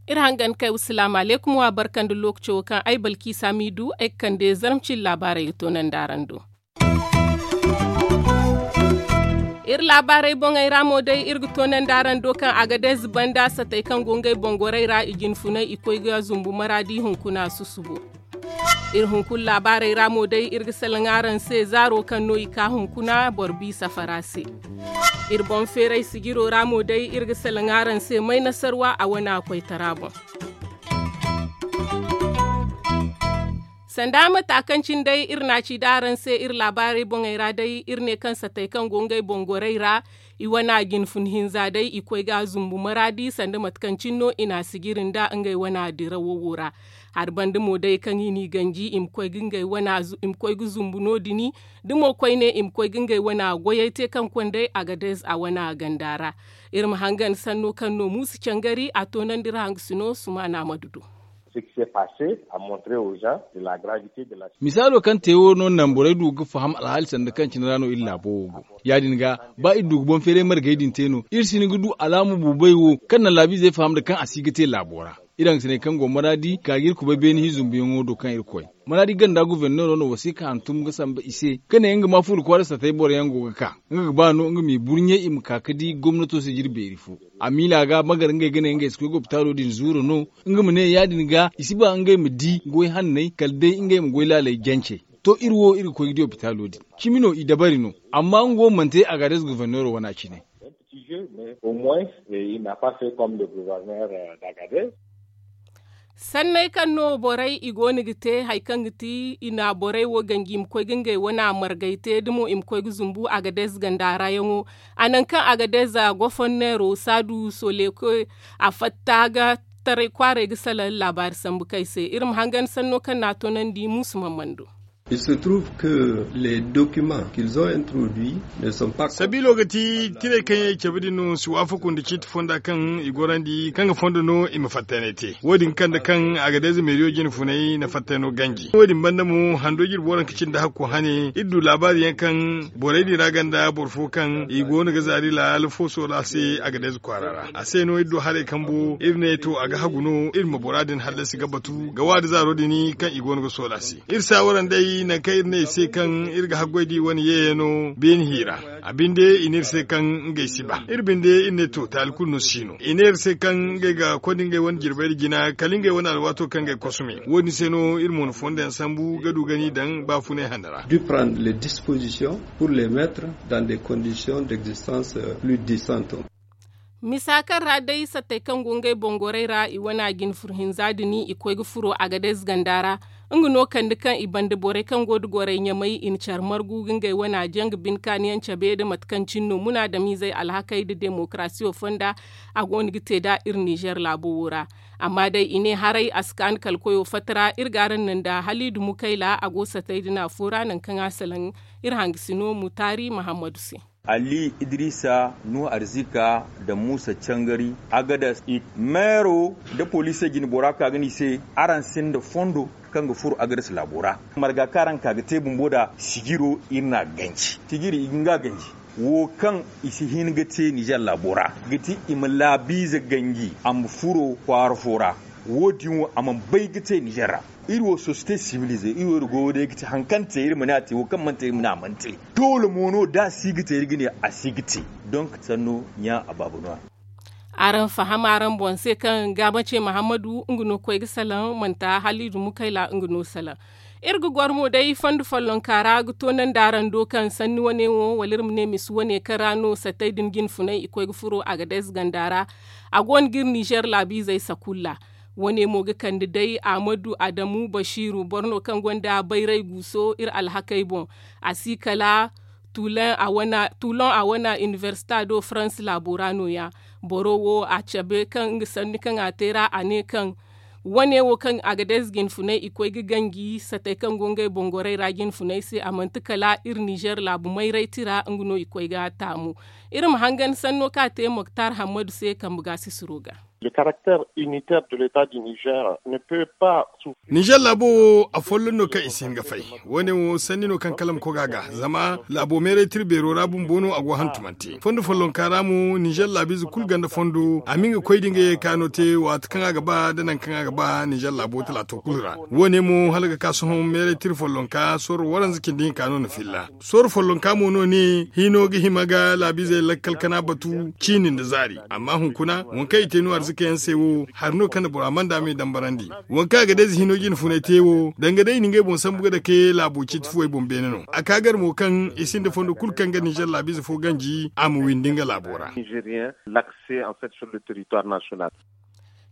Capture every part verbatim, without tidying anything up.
Iri hangan kay wa salaamu aleykum wa barka nda lookaco wo kaŋ ay balkiisa m'i du ay ga kande zarma cine laabaarey ga toonandi araŋ do. Iri laabaarey boŋey ra mo day iri ga toonandi araŋ do kaŋ agadez banda satey kaŋ go ngey boŋ gorey ra i jinfunay i koy ga zumbu maraadi hunkuna susubo. Iri hunkuna laabaarey ra mo day iri ga salaŋ araŋ se zaaro kaŋ no i ka hunkuna boro bi safara se. Iri boŋ feeray sijiro ra mo day iri ga salaŋ araŋ se may nasarwa a wana koytara boŋ. Sanda mata kaŋ cine day iri na a ci da araŋ se iri laabaarey boŋey ra day iri ne kaŋ satey kaŋ go ngey boŋ gorey ra i wana jinfun hinza day i koy ga a zumbu maraadi sanda mate kaŋ cine no i na a sijiri nda ngey wana dirawo wo ra. Hari banda mo day kaŋ i n'i ganji i ma koy ga ngey wana zu- i ma koy ga zumbu no- din da mo koyne i ma koy ga ngey wana goyey te kaŋ konday agadez a wana ganda ra. Iri ma hangan sanno kaŋ no muusu cangari a toonandi iri hangasino sumaana ma du do. Misaalo kaŋ te wo no naŋ borey du ga faham alhaali sanda kaŋ cine ra no iri laabo wo go. Ya- din ga ba iri du ga boŋ feeray margey din te no iri si hin ga du alaama buubay wo kaŋ naŋ laabiizey faham nda kaŋ a si ga te laabo ra. Iri hangasiney kaŋ go maraadi ka ga iri kubay beene hinzumbuyaŋo do kaŋ iri koy maraadi ganda goforneero no wasiika hantum ga samba i se ka ne nga ma furo kwaara satey boro yaŋ go ga ka nga ga ba no nga m'i burɲe i ma ka ga di gomnato sijiri beeri fo. A miila ga magar ngey ga ne ngey si koy ga opitaalo din zuuru no nga ma ne ya- din ga i si ba ngey ma di goy hanney kala day ngey ma goy laaley jance. To iri wo iri ga koy ga di opitaalo din cimi no i dabari no. Amma nga wo mana te agadez goforneero wana cine. Sanney kaŋ no borey i go no ga te hari kaŋ ga ti i na borey wo ganji i ma koy ga ngey wana margay te da mo i ma koy ga zumbu agadez ganda ra yaŋo. A naŋ kaŋ agadez goforneero saadu solekoy a fatta ga taray kwaaray ga salaŋ laabaari sambu kay se iri ma hangan sanno kaŋ no a toonandi muusu mammando. Sabiilo ga ti tirey kaŋ yaŋ i cabe din no si waafaku nda ciiti fonda kaŋ i gorandi kaŋ ga fondo no i ma fattaynay te wo- din kaŋ nda kaŋ agadez meeriyo jine funay na fattayno ganji wo- din banda mo hando jirbi waranka cindi hakko hane iri du laabaari yaŋ kaŋ borey din ra ganda boro fo kaŋ i go no ga zaari laala fo soola se agadez kwaara ra a se no iri du haray kambo iri ne to a ga hagu no iri ma bora din hallasi ga batu ga waadi zaaro din kaŋ i go no ga soola se. Iri saawara nd'ey nangu kaŋ iri ne i se kaŋ iri ga haggoy da i wane yeeyano beene hi ra. A binde i ne iri se kaŋ ngey si ba iri binde iri ne to taali kulu no si no i ne iri se kaŋ ngey ga konda ngey wane jirbey nda jina kala ngey wane alwaato kaŋ ngey ga kosome wo- din se no iri mo na fondo yaŋ sambu ga du ga n'i daŋ baafunay hane ra. Misa kaŋ ra day sattey kaŋ go ngey boŋ gorey ra i wana jine furo hinza din i koy ga furo agadez ganda ra. Nga no kande kaŋ i banda borey kaŋ go nda gorey ɲamay i na care margu ga ngey wana janga bine kaani yaŋ cabe nda mate kaŋ cine no munaadamiizey alhakey nda demokarasiyo fonda. A go no ga te nd'a iri nizer laabo wo ra. Amma day i ne haray a si kaanu kala koyo fatta ra iri ga araŋ naŋ nda haliidu mukayla a go sattey din afo ra nangu kaŋ a salaŋ iri hangasino mutaari mahammadu se. Ali idrisa nuhu arzika nda muusa cangari agadas. Meero nda poliisey jine bora ka ga ne i se araŋ sinda fondo kaŋ ga furo agadas laabo ra. Marga kaŋ araŋ ka ga te bumbo nd'a sijiro iri n'a ganji sijiri i ga nga ganji wo kaŋ i si hin ga te nizer laabo ra ga ti i ma laabiize ganji a ma furo kwaara fo ra. Wo- din wo a mana bay ga te nizer ra. Iri wo sosiyete sibilize iri wo iri goyo day ga te hari kaŋ te iri ma ne a te wo kaŋ mana te iri ma ne a mana te. Doole mo no da a si ga te iri ga ne a si ga te. Donk sanno ɲa a baaba no- ya. Araŋ faham araŋ boŋ se kaŋ gaamace mahammadu nga no koy ga salaŋ manti haliidu mukayla nga no salaŋ. Iri ga goro mo day fondo follonka ra ga toonandi araŋ do kaŋ sanni wane wo wala iri ma ne misi wane kaŋ ra no sattey din jine funay i koy ga furo agadez ganda ra. A go no ga iri nizer laabiizey sakulla. Wane mo ga kande day ahmadu adamu basiiru boro no kaŋ gonda bayray guuso iri alhakey boŋ. A si kala tuulon a wana inibersita do faransi laabo ra no- ya. Boro wo a cabe kaŋ nga sanni kaŋ a te ra a ne kaŋ wane wo kaŋ agadez jine funay i koy ga ganji sattey kaŋ go ngey boŋ gorey ra jine funay se a manti kala iri nizer laabu mayray tira nga no i koy ga taamu. Iri ma hangan sanno kaŋ a te moktar hammadu se kambe ga sisiro ga. Le caractère unitaire de l'état du Niger ne peut pas souffrir. Nizer laabo wo a folloŋ no kaŋ i si hin ga fay. Wo- ne wo sanni no kaŋ kala ma koy ga a ga zama laabo meeray tira beero ra bumbo no a go hantumante fondo follonka ra mo nizer laabiize kulu ganda fondo a ma nga koy da nga ye kaano te waati kaŋ a ga ba nda nangu kaŋ a ga ba nizer laabo talaato kulu ra. Wo- ne mo hala ga ka sohõ meeray tira follonka sooro waranza cindi hinka no na filla. Sooro follonka mo no ne hino ga hima ga laabiizey lakkal kana batu ciini nda zaari. Amma hunkuna waŋ kaŋ i te no arzika yaŋ se wo hari no kaŋ na bora manda me dambarandi. Waŋ kaŋ a ga day za hino jine funay te wo danga day i na ngey boŋ sambu ga dake laabo ciiti fuwey boŋ beene no a ka gar mo kaŋ i sinda fondo kulu kaŋ ga nizer laabiize fo ganji a ma windi nga laabo ra. Nigerian l'accès en fait sur le territoire national.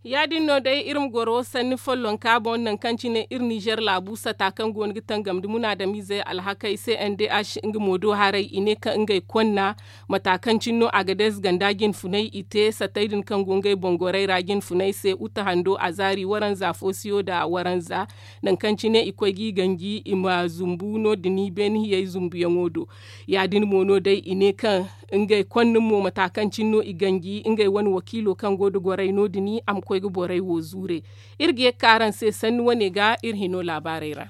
Ya- din no day iri ma goro sanni follonka boŋ nangu kaŋ cine iri nizer laabu sata kaŋ go no ga tangam nda munaadamiizey alhakey cndh nga mo do haray i ne kaŋ ngey konna mata kaŋ cine no a ga deeze ganda jinfunay i te satey din kaŋ go ngey boŋ gorey ra jinfunay se uta hando azaari waranza foosiyo nda waranza. Nangu kaŋ cine i koy g'i ganji i ma zumbu no- din beene hiyey zumbuyaŋo do. Ya- din mo no day i ne kaŋ ngey konna mo mata kaŋ cine no i ganji ngey wane wakiilo kaŋ go nda gorey no- din a ma koy ga borey wo zuure. Iri ga ye ga ka araŋ se sanni wane ga iri hino laabaarey ra.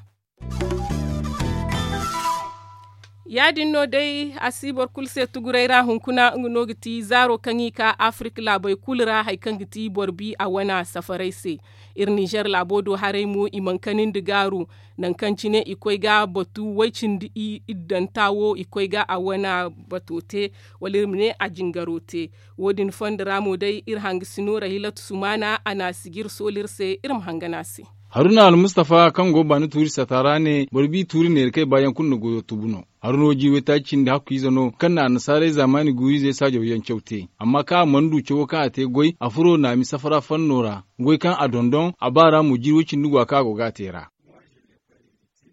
Ya- din no day a si boro kulu se tuguray ra hunkuna nga no ga ti zaaro kaŋ i ka afirik laabey kulu ra hari kaŋ ga ti boro bi a wana safarey se. Iri nizer laabo do haray mo i mana kanandi gaaru nangu kaŋ cine i koy ga batu way-cindi iddanta wo i koy ga a wana bato te wala iri ma ne a jingaro te. Wo- din fondo ra mo day iri hangasino rahilatu sumaana a na a sijir sooli iri se iri ma hangan a se. Haruna almustafa kaŋ go baani tuuri sata ra ne boro bi tuuri neera kay baayaŋ kulu na goyo tubu no. Haruna wo jiiri waytaaci cindi hakku ize no kaŋ na annasaarey zaamaani guuru-izey saajaw yaŋ caw te. Amma kaŋ a mana du cawo kaŋ a te goy a furo naami safara fanno ra. Goy kaŋ a dondon a ba ra mo jiiri way-cindi go a kaŋ a go ga a te ra.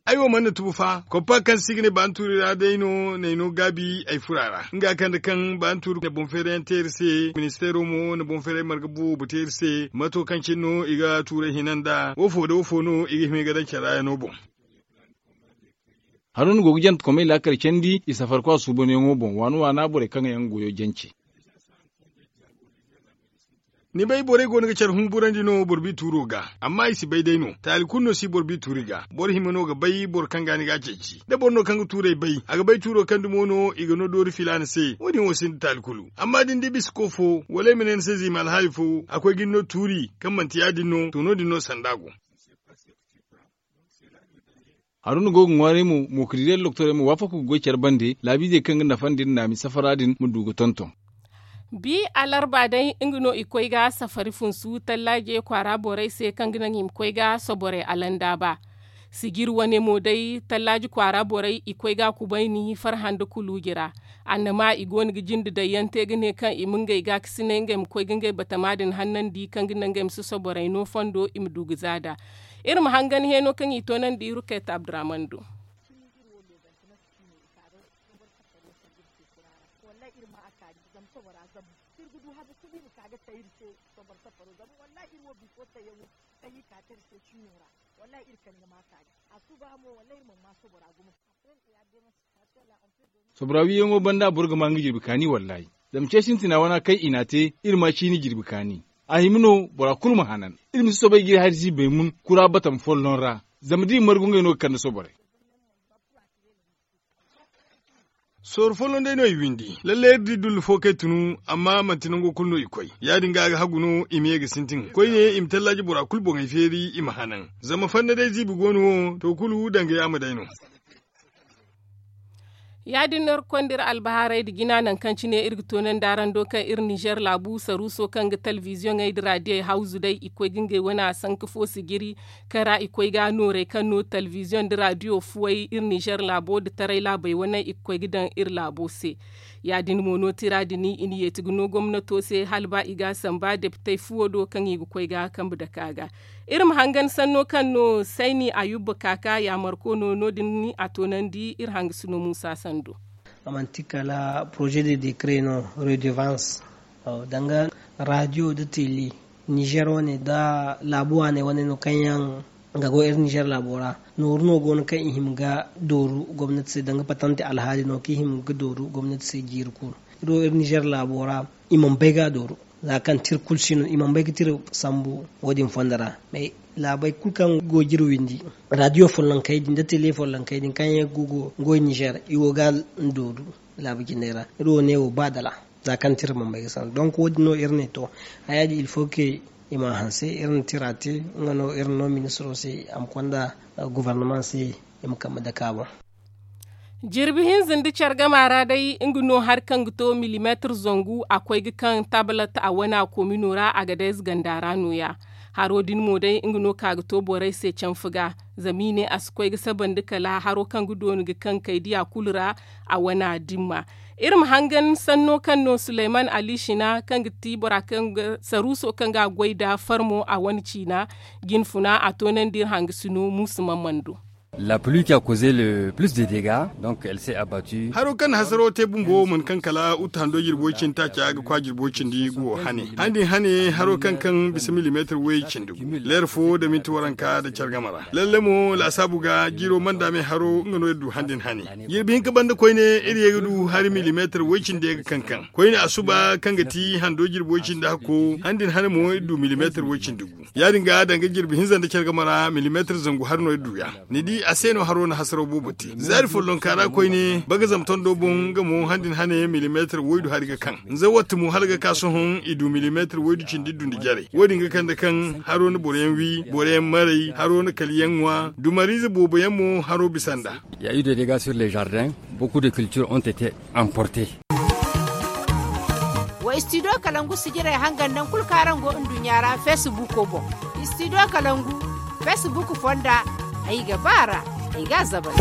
Ay wo mana tubu fa koppa kaŋ si ga ne baani tuuri ra day no n'ay no gaabi ay fura ra nga kaŋ nda kaŋ baani tuuri na boŋ feerayaŋ te iri se ministeero mo na boŋ feeray marga boobo te iri se mato kaŋ cine no i ga tuuray hina nda woofo nda woofo no i ga hima i ga daŋ care ra yaŋo boŋ. Haruna go ga jante komey laakal candi i safarkwa suubanyaŋo boŋ waana waana borey kaŋ yaŋ ga goyo jance. Ni bay borey go no ga care humburandi no boro bi tuuro ga. Amma i si bay day no taali kulu no si boro bi tuuri ga boro hima no ga bay boro kaŋ ga ni ga a ceeci da boro no kaŋ ga tuurey bay a ga bay tuuro kaŋ dumo no i ga no doori filaana se wo- din wo sinda taali kulu. Amma da ni di bisa ko fo wala ay ma ne ni se ziima alhaali fo a koy ga ni no tuuri kaŋ manti ya- din no to no- din no sanda go. Haruna go ga ŋwaaray mo mookadiirey nda doktorey ma waafaku ga goy care bande laabiizey kaŋ ga nafandi nda naami safara din ma du ga tonton. Bi alarba day nga no i koy ga safari funsu tallaaje kwaara borey se kaŋ ga naŋ i ma koy ga soborey alandaaba. Sijir wane mo day tallaaji kwaara borey i koy ga kubayni farhã nda kuluuji ra. Annama i go no ga jinde daŋ yaŋ te ga ne kaŋ i ma ngey gaakasinay ngey ma koy ga ngey batama din hannandi kaŋ ga naŋ ngey ma si soborey no fondo i ma du ga za nd'a. Iri ma hangan heeno kaŋ i toonandi ruket abdurahman do. Wallahi iri ma a kaani zama sobora zabu da iri ga du habu kulu iri ma ka ga tay iri se sobor safaro zama wallahi iri wo bifo tayyaŋo kaŋ iri ka te iri se ciino ra. Wallahi iri kaŋ ga ma a kaani a suba mo wallahi iri mana ma sobora gumo. Sobora wiyaŋo banda boro ga ma nga jirbi kaani wallahi. Zama ce sintina wana kaŋ i n'a te iri ma ciini jirbi kaani. A hima no bora kulu ma hanan iri ma si soobay ga iri hari ziibey mun kura batam folloŋ ra. Zama da i margu ngey no ga kande soborey. Sooru folloŋ day no i windi lalle iri di dullu fo kaŋ ay tunu amma manti nango kulu no i koy. Ya- din ga a ga hagu no i ma ye ga sintin koyne i ma tallaaji bora kulu boŋey feeri i ma hanan. Zama fanna day ziibi go no wo to kulu danga yaama day no. Ya- din no iri ga konda iri albahaarey nda jina nangu kaŋ cine iri ga toonandi araŋ do kaŋ iri nizer laabu saruuso kaŋ ga telebiziyoŋey nda raadiyey hawzu day i koy ga ngey wane a sanka fo sijiri kaŋ ra i koy ga noorey kaŋ no telebiziyoŋ nda raadiyo fuwey iri nizer laabo nda taray laabey wane i ga koy ga daŋ iri laabo se. Ya- din mo no tira din i na yeeti ga no gomnato se hala ba i ga a samba depitey fuwo do kaŋ i ga koy ga kambe dake a ga. Iri ma hangan sanno kaŋ no sayni ayuba kaaka yaamarko no no- din a toonandi iri hangasino muusa sando. A manti kala poroze de dekre no redevance danga raadiyo nda tele nizer wane nda laabu waaney wane no kaŋ yaŋ ga go iri nizer laabo ra. Nooru no go no kaŋ i hima ga dooru gomnati se danga patante alhaali no kaŋ i hima ga dooru gomnati se jiiri kulu. Iri wo iri nizer laabo ra i mana bay ga a dooru. Za kaŋ tira kulu si no i mana bay ga tira sambu wo- din fondo ra. Mais laabey kulu kaŋ go ga iri windi, radiyo follonkey din nda tele follonkey din kaŋ yaŋ go ga goy nizer, i go ga a dooru laabu jinay ra. Iri wo ne wo ba dala za kaŋ tira mana bay ga sambu donk wo- din no iri ne to, haya din il faut que i ma a hanse. Iri na tira te, nga no iri na no ministiro se a ma konda gobornama se, i ma kambe dake a boŋ. Jirbi hinza nda care gama ra day nga no hari kaŋ ga to milimeetir zangu a koy ga kaŋ tablet a wane a komino ra a ga day ze ganda ra no- ya. Haro din mo day nga no ka ga to borey se canfa ga, zama i ne a si koy ga sabandi kala haro kaŋ ga dooni ga kaŋ kay diya kulu ra. A wane a dimma iri ma hangan sanno kaŋ no suleyman ali shina kaŋ ga ti bora kaŋ ga saruuso kaŋ ga a goy nda farmo a wane ciina, jinfuna a toonandi iri hangasino muusu mamman do. La pluie qui a causé le plus de dégâts, donc elle s'est abattue. Haro kaŋ na hasaro te bumbo wo mana kaŋ kala uta hando jirbo cindi taaca ga kwa jirbo cindi gu wo hane han din hane haro kaŋ kaŋ bisa milimeetir way cindi gu leer fo da minti waranka da care game ra. Lalle mo laasaabu ga jiiro manda me haro nga no iri du han din hane. Jirbi hinka banda koyne iri ye ga du hari milimeetir way cindi ye ga kaŋ kaŋ koyne asuba kaŋ ga ti hando jirbo cindi hakko han din hane mo iri du milimeetir way cindi gu. Ya- din ga danga jirbi hinza nda care game ra milimeetir zangu hari no iri du ya. Ni di a se no haro na hasaraw boobo te zaari follonka ra koyne bagazam tondo boŋ nga mo han din hane milimeetir waydu hari ga kaŋ. Nza watta mo hala ga ka sohõ i du milimeetir waydu cindi iri du nda jarey wo- din ga kande kaŋ haro na boro yaŋ wi boro yaŋ maray haro na kala yaŋ ŋwa dumariize boobo yaŋ mo haro bisa nd'a. Ya iri de dega sur le jardin. Beaucoup de cultures ont été emportées. Wa istidiyo kalangu sijirey hangan naŋ kulu kaŋ araŋ go nduɲɲa ra feesibuuko boŋ. Istidiyo kalangu feesibuuko fonda ay ga ba a ra. Ay ga a zabal.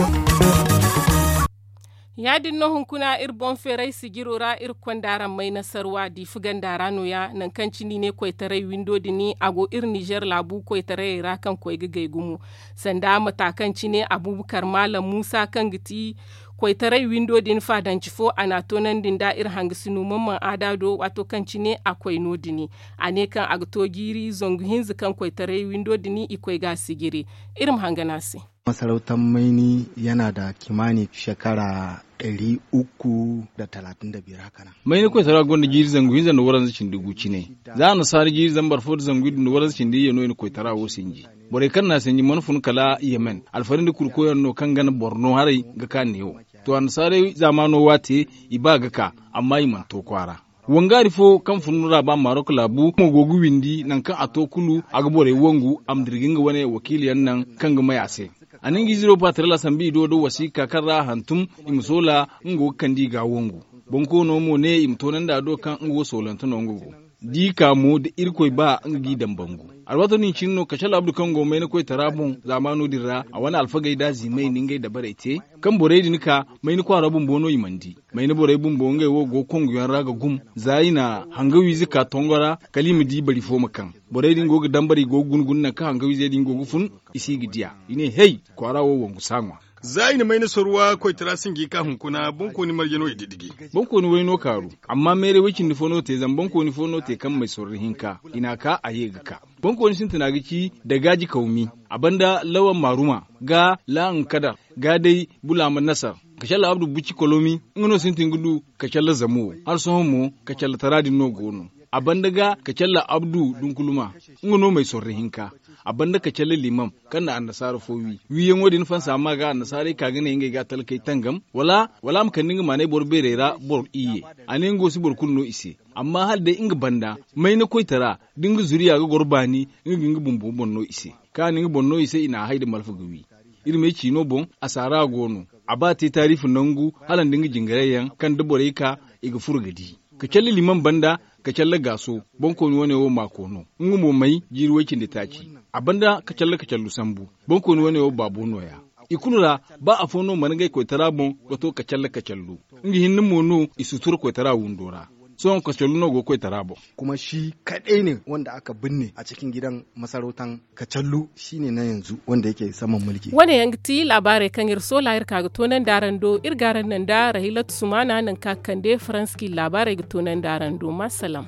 Ya- din no hunkuna iri boŋ feeray sijiro ra iri konda araŋ may nasarwa diifi ganda ra no- ya nangu kaŋ cine i ne koytaray windo din a go iri nizer laabu koytarayey ra kaŋ koy ga gay gumo. Sanda mata kaŋ cine abuubakar maalam muusa kaŋ ga ti koytaray windo din faadanci fo a n'a toonandi nda iri hangasino mamman aada do waato kaŋ cine a koy no- din. A ne kaŋ a ga to jiiri zangu hinza kaŋ koytaray windo din i koy ga a sijiri. Iri ma hangan a se. Masarautar mayni yana da kimanin shekara ɗari uku da talatin da biyar haka nan. Mayni koytara gonda jiiri zangu hinza nda waranza cindi gu cine. Za annasaara jiiri zambar fo nda zangu iddu nda waranza cindi iyye no i na koytara wo sinji. Borey kaŋ n'a sinji mana fun kala yemen alfari nda kurkoyaŋ no kaŋ gana borno haray ga ka neewo. To annasaarey zaamaano waate i ba ga ka, amma i mana to kwaara. Wangaari fo kaŋ fun ra ba marok laabu mo go ga windi nangu kaŋ a to kulu a ga borey wangu a ma dira ga nga wane wakiiliyaŋ naŋ kaŋ ga may a se. A na nga ize do patrel a sambu i do nda wasiika kaŋ ra a hantum i ma soola nga go ga kande i ga a wangu. Bonkoono mo ne i ma toonandi a do kaŋ nga wo soolante no nga go. Da i ka mo da irkoy ba nga g'i daŋ bangu. Alwaato din cine no kacalla abdu kaŋ go mayna koytara boŋ zaamaano din ra a wane alfagey da a ziimey na ngey dabarey te. Kaŋ borey din ka mayna kwaara bumbo no i mana di. Mayna borey bumbo ngey wo go ga konguyaŋ ra ga gum za i na hangawiize ka tongo ra kala i ma di bari fo ma kaŋ. Borey din go ga dambar i go ga guna guna nangu kaŋ hangawiizey din go ga fun i si ga di a i ne hey, kwaara wo wangu saaŋwa. Za i na mayna sorwa koytara sinji ka hunkuna bonkooni marje no i didiji. Bonkooni way no kaaru. Amma meeray way cindi fo no te zama bonkooni fo no te kaŋ may sorro hinka i n'a ka a ye ga ka. Bonkooni sintina ga ci dagaaji kawmi, a banda lawan maaruma, ga lahan kadar, ga day bulaama nasar, kacalla abdu buci kolomi. Nga no sintin ga du kacalla zamo. Hala sohõ mo kacalla tara din no go no. A banda ga kacalla abdu dunkuluma, nga no may sorro hinka. A banda kacalla limam kaŋ na annasaara fo wi wiiyaŋo din fansa ma ga annasaarey ka ga ne ngey ga talkey tangam wala wala a ma kande nga maanay boro beerey ra boro iyye. A ne nga wo si boro kulu no i se. Amma hala day nga banda mayna koytara da nga zuriya ga goro baani, nga ga nga bumbo boŋ no i se. Kaŋ a na nga boŋ no i se i n'a hay nda malfa ga wi. Iri m'ay ciino boŋ, a saara go no. A ba te taariifi nangu hala nda nga jingarayyaŋ kaŋ da borey ka i ga furo ga di. Kacalla liman banda kacalla gaaso. Bonkooni wane wo maako no. Nga mo may jiiri way-cindi taaci. A banda kacalla kacallu sambu. Bonkooni wane wo baabo nooya. I kulu ra, ba afo no mana ngey koytara boŋ ga to kacalla kacallu. Nga hinne mo no i sutura koytara windo ra. Sohõ kacallu no go koytara boŋ. Kuma shi kaɗai ne wanda aka binne a cikin gidan masarautan kacallu. Shi ne na yanzu wanda yake saman mulki. Wane yaŋ ga ti laabaarey kaŋ iri soola iri ka ga toonandi araŋ do iri ga araŋ naŋ da rahilatu sumaana naŋ ka ga kande faranski laabaarey ga toonandi araŋ do ma salaam.